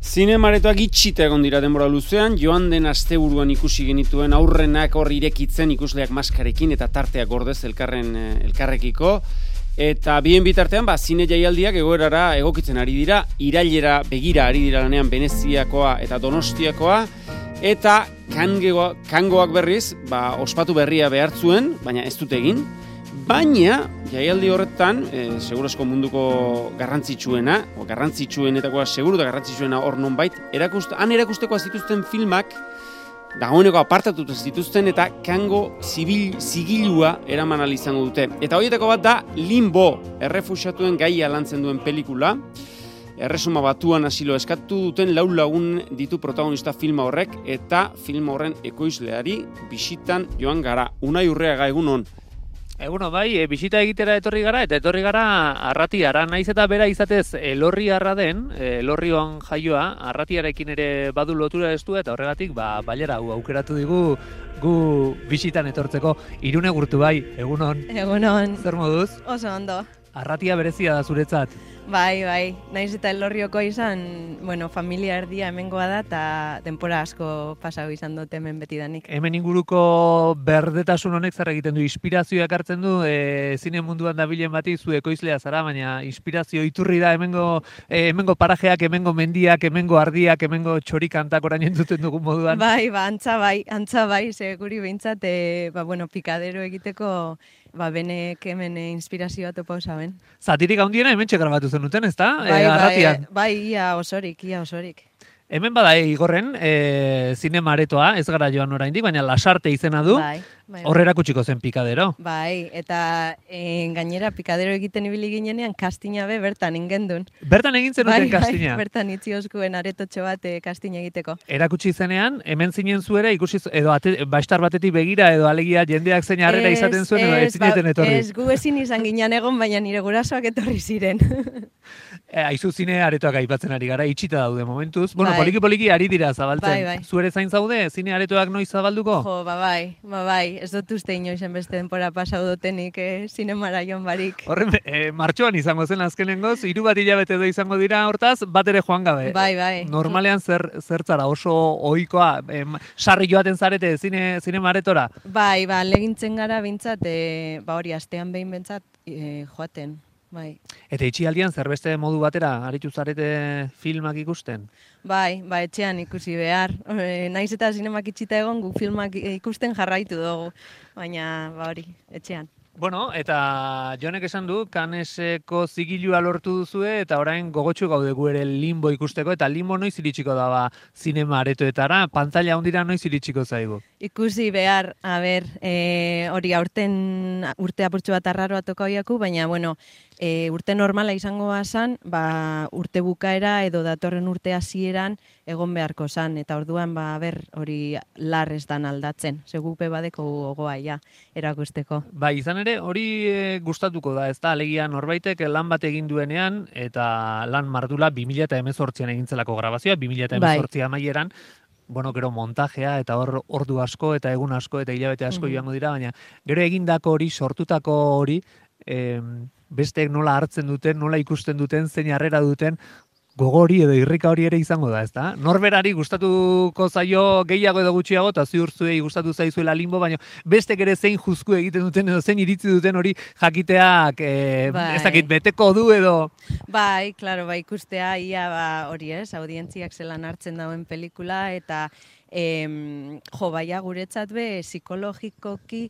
Zinemaretoak itxita egon dira denbora luzean, joan den asteburuan ikusi genituen aurrenak hor irekitzen ikusleak maskarekin eta tarteak gordez elkarrekiko. Eta bien bitartean, zine jaialdiak egoerara egokitzen ari dira, irailera begira ari dira lanean Veneziakoa eta Donostiakoa, eta kangoak berriz, ospatu berria behartzuen, baina ez dute egin. Baina, jaialdi horretan, segurazko munduko garrantzitsuenetakoa seguru da garrantzitsuena hor nonbait, han erakustekoa zituzten filmak, dagoeneko apartatutu zituzten eta kango zigilua eraman ahal izango dute. Eta horietako bat da Limbo, errefuxiatuen gaia lantzen duen pelikula. Erresuma Batuan asilo eskatu duten 4 lagun ditu protagonista filma horrek, eta filma horren ekoizleari bisitan joan gara. Unai Urreaga, egunon. Eguno, bisita egitera etorri gara, eta etorri gara Arratiara, naiz eta bera izatez Elorriarra den, Elorrioan jaioa, Arratiarekin ere badu lotura estua, eta horregatik, bailera hau aukeratu digu gu bisitan etortzeko. Irune Gurtu, egunon. Egunon. Zer moduz? Oso ondo. Arratia berezia da zuretzat. Bai, naiz eta Elorrioko izan, familia erdia hemengoa da, eta denpora asko pasau izan dut hemen betidanik. Hemen inguruko berdetasun honek zer egiten du, inspirazioak hartzen du, zine munduan dabilen bati zu ekoizlea zara, baina inspirazio iturri da hemengo parajeak, hemengo mendiak, hemengo ardiak, hemengo txorikantak orain entzuten dugun moduan. Antza bai, ze guri behintzat, pikadero egiteko, benek hemen inspirazioa topa osaben. Zatirik handiena hemen grabatu zenuten, ez da? Arratian. Ia osorik. Hemen bada Igorren, zinema aretoa, ez gara joan oraindik, baina Lasarte izena du. Hor erakutsiko zen pikadero. Eta gainera pikadero egiten ibili ginenean kastina bertan ingendun. Bertan egin zenuten kastina? Bertan itziozkuen aretotxo bat kastina egiteko. Erakutsi zenean, hemen zinen zuera, ikusi edo bastar batetik begira, edo alegia jendeak zein harrera izaten zuen, edo ez zineten etorri. Ez, gu ezin izan ginen egon, baina nire gurasoak etorri ziren. Aizu zine aretoak aipatzen ari gara, itxita daude momentuz. Poliki ari dira zabaltzen. Zuere zain zaude, zine aretoak noiz zabalduko? Jo, ez dut uste inoizen beste denpora pasau dutenik zinemara joan barik. Horren, martxoan izango zen azkenengoz, 3 hilabete edo izango dira hortaz, bat ere joan gabe. Bai. Normalean zertzara oso ohikoa, sarri joaten zarete zinema aretora? Bai, legintzen gara bintzat, hori astean behin bintzat joaten. Bai. Eta itxialdian zerbeste modu batera aritu zarete filmak ikusten? Bai, etxean ikusi behar. Naiz eta zinemak itxita egon, gu filmak ikusten jarraitu dugu. Baina, hori, etxean. Bueno, eta Jonek esan du, Canneseko zigilua lortu duzue, eta orain gogotsu gaude gu ere Limbo ikusteko, eta Limbo noiz iritsiko da zinema aretoetara, pantalla hondira noiz iritsiko zaigu? Ikusi behar, hori aurten urte apurtxo bat arraroa toka hoiaku, baina, urte normala izango bazan, urte bukaera edo datorren urte hasieran egon beharko zan, eta orduan hori lar ez dan aldatzen, segupe badeko gogoa erakusteko. Izan ere, hori gustatuko da, ez da, alegia norbaitek lan bat egin duenean, eta lan mardula 2018an egintzelako grabazioa, 2018 amaieran, gero montajea, eta hor ordu asko, eta egun asko, eta hilabete asko joango dira, baina gero egindako hori, sortutako hori, besteek nola hartzen duten, nola ikusten duten, zein harrera duten, gogori edo irrika hori ere izango da, ez da? Norberari gustatuko zaio gehiago edo gutxiago, eta ziur zuei gustatu zaizuela Limbo, baina bestek ere zein juzku egiten duten edo zein iritzi duten hori jakiteak ez dakit beteko du edo... Claro, ikustea ia hori ez, audientziak zelan hartzen dauen pelikula, eta guretzat psikologikoki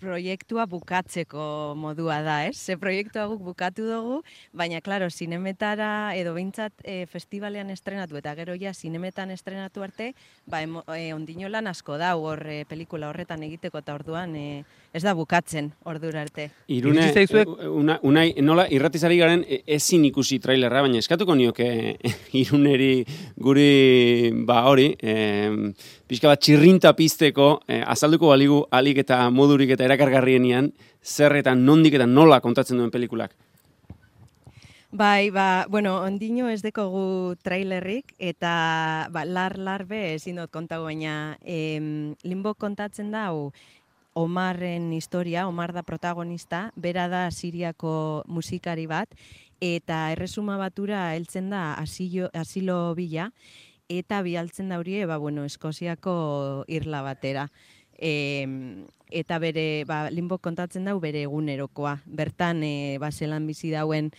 proiektua bukatzeko modua da, ez? Ze proiektua guk bukatu dugu, baina, klaro, zinemetara edo behintzat festivalean estrenatu eta gero ja zinemetan estrenatu arte, ondino lan asko da hor pelikula horretan egiteko eta orduan ez da bukatzen ordura arte. Irune, unai, nola irratizari garen ezin ikusi trailerra, baina eskatuko nioke Iruneri guri hori, pixka bat txirrinta pizteko, azalduko baligu alik eta modurik eta erakargarrienean, zer eta nondik eta nola kontatzen duen pelikulak. Ondino ez dekogu trailerrik, eta lar ezin dut kontago, baina Limbo kontatzen da, Omarren historia, Omar da protagonista, bera da Siriako musikari bat, eta Erresuma Batura heltzen da asilo bila, eta bialtzen da hori, Eskoziako irla batera. Eta bere, Limbo kontatzen dau bere egunerokoa. Bertan, zelan bizi dauen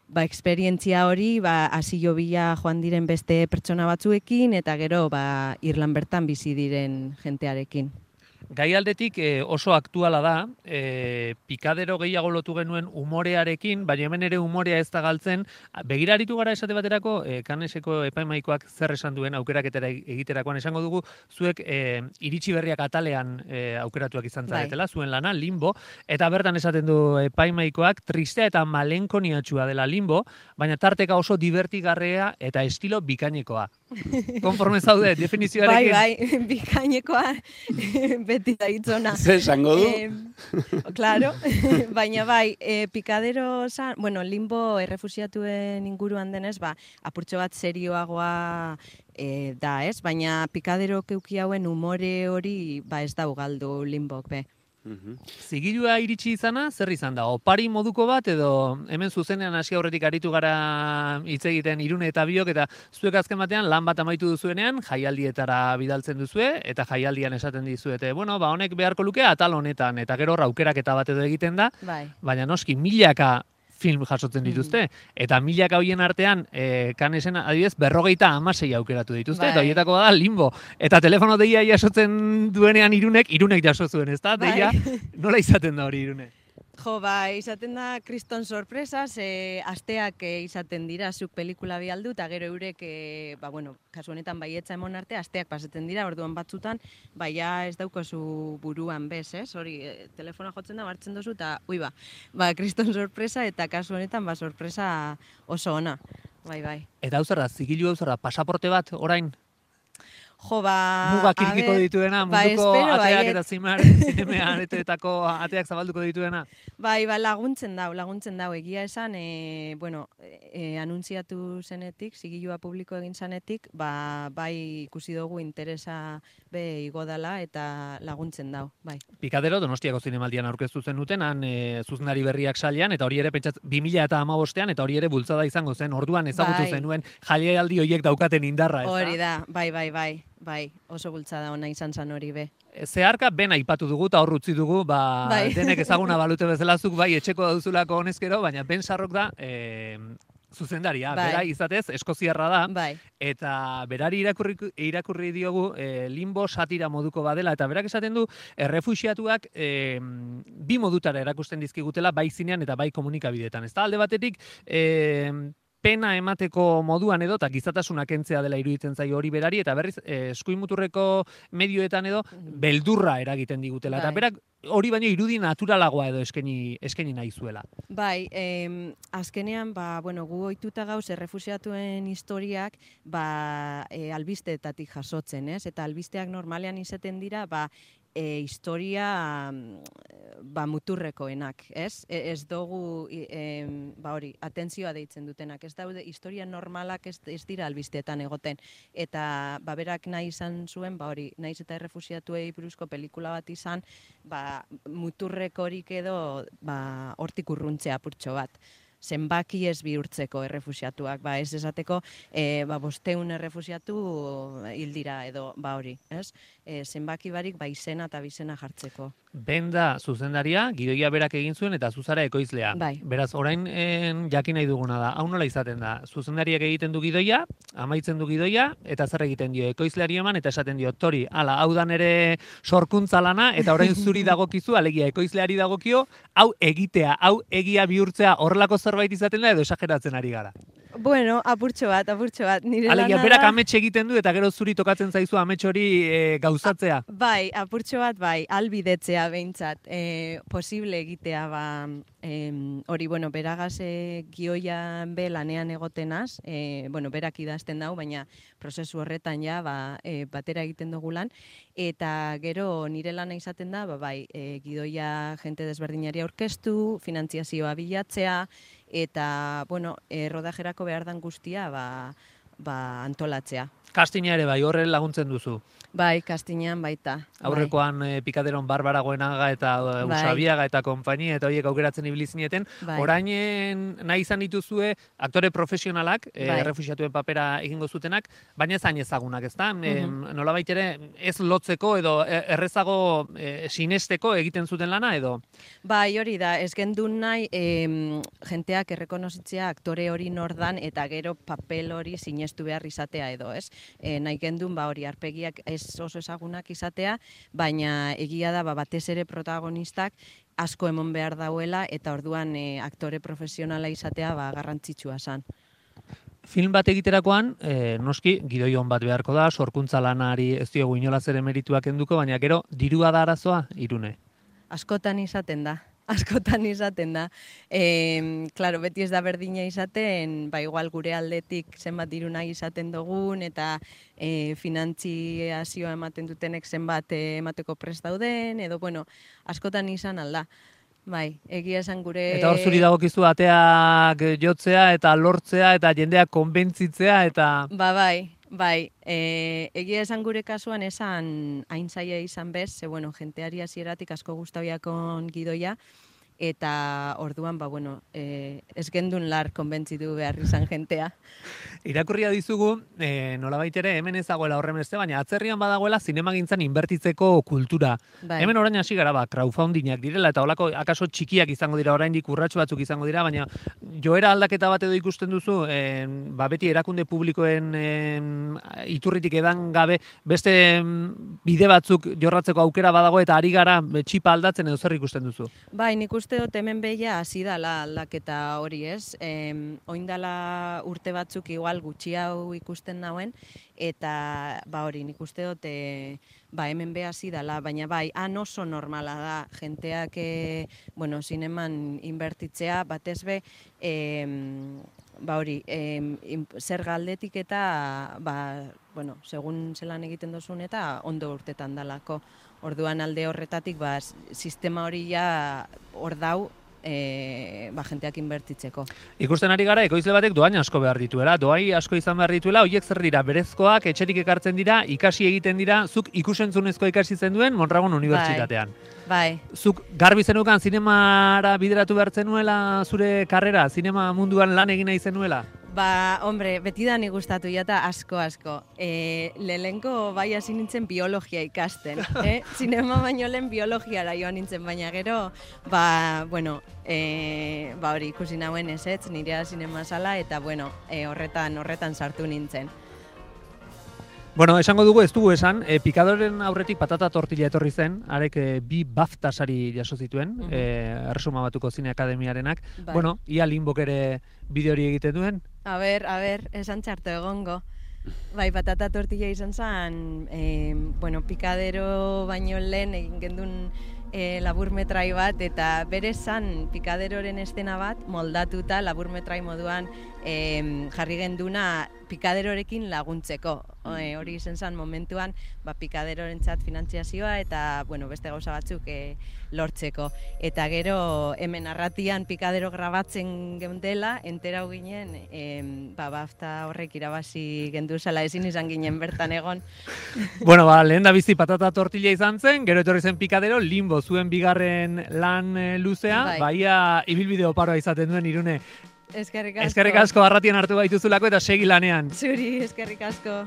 esperientzia hori, asilo bila joan diren beste pertsona batzuekin, eta gero, Irlan bertan bizi diren jentearekin. Gai aldetik oso aktuala da, pikadero gehiago lotu genuen umorearekin, baina hemen ere umorea ez da galtzen. Begiraritu gara esate baterako, Kaneseko epaimaikoak zer esan duen aukeraketera egiterakoan esango dugu, zuek iritsi berriak atalean aukeratuak izan zaretela, zuen lana, Limbo, eta bertan esaten du epaimaikoak tristea eta malenkoniatxua dela Limbo, baina tarteka oso divertigarrea eta estilo bikainekoa. Konforme zaude, definizioarekin? Bai, bikainekoa beti da hitzona. Zer esango du? Claro, baina pikadero Limbo errefusiatuen inguruan denez, apurtxo bat serioagoa da, ez? Baina pikadero keuki hauen umore hori ez da galdu Limbok, be. Zigilua iritsi izana, zer izan da? Opari moduko bat, edo hemen zuzenean hasi aurretik aritu gara hitz egiten Irune eta Biok, eta zuek azken batean lan bat amaitu duzuenean, jaialdietara bidaltzen duzue, eta jaialdian esaten dizuete, honek beharko luke atal honetan, eta gero aukeraketa bat edo egiten da, baina noski milaka film jasotzen dituzte, eta milaka hoien artean, Kanesen adibidez, 56 aukeratu dituzte, eta horietako da Limbo. Eta telefono deia jasotzen duenean Irunek jaso zuen, ez da? Deia, nola izaten da hori Irune? Jo, izaten da kriston sorpresas, asteak izaten dira, zuk pelikula bialdu, eta gero eurek, kasu honetan baietza emon arte, asteak pasatzen dira, orduan batzutan, ez daukozu buruan bez, ez? Hori, telefona jotzen da, hartzen duzu, eta, kriston sorpresa, eta kasu honetan, sorpresa oso ona, bai. Eta hau zer da, zigilu hau zer da, pasaporte bat, orain? Jo, mugak irkiko dituena, munduko ateak eta zinemean etetako ateak zabalduko dituena. Laguntzen dau, egia esan, anuntziatu zenetik, zigilua publiko egin zanetik, ikusi dugu interesa be igo dela eta laguntzen dau, bai. Pikadero, Donostiako zinemaldian aurkeztu zen han zuzenari berriak sailean, eta hori ere pentsat 2015ean, eta hori ere bultzada izango zen, orduan ezagutu zenuen jaialdi horiek daukaten indarra, ez da? Hori da, bai, oso bultzada ona izan zan hori be. Zeharka ben aipatu dugu eta hor utzi dugu, denek ezaguna balute bezalazuk, etxeko dauzulako honezkero, baina Ben Sarrok da zuzendaria, bera izatez, eskoziarra da, eta berari irakurri diogu Limbo satira moduko badela, eta berak esaten du, errefuxiatuak bi modutara erakusten dizkigutela, bai zinean eta bai komunikabideetan. Ez da, alde batetik, pena emateko moduan edo, eta gizatasuna kentzea dela iruditzen zaio hori berari, eta berriz, eskuimuturreko medioetan edo, beldurra eragiten digutela. Eta berak hori baino irudi naturalagoa edo eskaini nahi zuela. Azkenean, gu ohituta gauz errefusiatuen historiak, albisteetatik jasotzen, ez? Eta albisteak normalean izaten dira, historia muturrekoenak, ez? Ez dugu, atentzioa deitzen dutenak, ez daude, historia normalak ez dira albisteetan egoten, eta berak nahi izan zuen, nahiz eta errefusiatuei buruzko pelikula bat izan, muturrekorik edo hortik urruntzea apurtxo bat. Zenbaki ez bihurtzeko errefusiatuak, ez esateko 500 errefusiatu hildira edo hori, ez? Zenbaki barik izena eta bizena jartzeko. Benda zuzendaria, gidoia berak egin zuen eta zuzara ekoizlea. Beraz, orain jakin nahi duguna da, hau nola izaten da, zuzendariak egiten du gidoia, amaitzen du gidoia, eta zer egiten dio, ekoizleari eman, eta esaten dio, Tori, hau da nere sorkuntza lana, eta orain zuri dagokizu, alegia ekoizleari dagokio, hau egitea, hau egia bihurtzea horrelako zerbait izaten da, edo esageratzen ari gara. Bueno, apurtxo bat, nire lana da. Alegia, berak amets egiten du, eta gero zuri tokatzen zaizu amets hori gauzatzea. Apurtxo bat, albidetzea behintzat, posible egitea, hori, beragaz gioian be lanean egotenaz, berak idazten dau, baina prozesu horretan batera egiten dugu lan, eta gero nire lana izaten da, gidoia jente desberdinari aurkeztu, finantziazioa bilatzea, eta, rodajerako behar dan guztia, antolatzea. Castina ere bai, horre laguntzen duzu. Bai, kastinean baita. Aurrekoan Pikaderon Barbara Goenaga eta Usabiaga eta konpainia eta horiek aukeratzen ibili zineten. Orainen nahi izan dituzue aktore profesionalak, errefuxiatuen papera egingo zutenak, baina ez hain ezagunak, ezta? Nolabait ere ez lotzeko edo errezago sinesteko egiten zuten lana edo? Bai, hori da, ez gendun nahi jenteak errekonozitzea aktore hori nordan eta gero papel hori sinestu behar izatea edo, ez? Nahi gendun, hori arpegiak ez oso ezagunak izatea, baina egia da batez ere protagonistak asko emon behar dauela eta orduan aktore profesionala izatea garrantzitsua zen. Film bat egiterakoan, noski, gidoi on bat beharko da, sorkuntza lanari ez diogu inolaz ere merituak enduko, baina gero dirua da arazoa, Irune? Askotan izaten da. Claro, beti ez da berdina izaten, igual gure aldetik zenbat diru nahi izaten dugun, eta finantziazioa ematen dutenek zenbat emateko prest dauden, edo, askotan izan alda. Bai, egia esan gure... Eta hor zuri dagokizu ateak jotzea eta lortzea eta jendeak konbentzitzea eta... Bai, egia esan gure kasuan esan hain zaila izan bez, jenteari hasieratik asko gustabiakon gidoia, eta orduan, ez gendun lar konbentzitu behar izan jentea. Irakurria dizugu, nolabait ere hemen ez dagoela horren beste, baina atzerrian badagoela zinemagintzan inbertitzeko kultura. Bai. Hemen orain hasi gara, crowdfundingak direla, eta holako akaso txikiak izango dira, oraindik urratsu batzuk izango dira, baina joera aldaketa bat edo ikusten duzu, beti erakunde publikoen iturritik edan gabe, beste bide batzuk jorratzeko aukera badago, eta ari gara txipa aldatzen edo zer ikusten duzu? Bai, nik uste dut hemen behia hasi dala aldaketa hori, ez? Oindala urte batzuk igual gutxi hau ikusten nauen, eta hori nik uste dut hemen beha hasi dala, baina han oso normala da jenteak zineman inbertitzea, batez be, hori, zer galdetik eta, segun zelan egiten dozun eta ondo urtetan dalako. Orduan alde horretatik, sistema hori hor dau, jenteak inbertitzeko. Ikusten ari gara, ekoizle batek doain asko behar dituela, doai asko izan behar dituela, horiek zer dira, berezkoak, etxerik ekartzen dira, ikasi egiten dira, zuk ikusentzunezko ikasi zenuen Mondragon Unibertsitatean. Bai. Zuk garbi zenukan zinemara bideratu behar zenuela zure karrera, zinema munduan lan egin nahi zenuela? Hombre, beti da nik gustatu jata asko. Lehenko hasi nintzen biologia ikasten. Zinema baino lehen biologiara joan nintzen, baina gero, hori ikusi nauen ezetz, nirea zinema sala, eta horretan sartu nintzen. Esango dugu, ez dugu esan, Pikadoren aurretik Patata Tortilla etorri zen, arek 2 BAFTA sari jaso zituen, Erresuma Batuko Zine Akademiarenak. Ia Limbok ere bideo hori egiten duen? A ber, esan txarto egongo. Patata Tortilla izan zen, Pikadero baino lehen egin gendun laburmetrai bat, eta bere zan Pikaderoren estena bat moldatuta laburmetrai moduan jarri genduna Pikaderorekin laguntzeko. Hori izan zen momentuan Pikaderorentzat finantziazioa eta beste gauza batzuk lortzeko. Eta gero hemen arratian Pikadero grabatzen geundela, enterau ginen BAFTA horrek irabazi genduzala, ezin izan ginen bertan egon. Lehen da bizi Patata Tortilla izan zen, gero etorri zen Pikadero, Limbo zuen bigarren lan luzea, baia ibilbide oparoa izaten duen Irune. Eskerrik asko. Eskerrik asko arratian hartu baituzulako eta segi lanean. Zuri, eskerrik asko.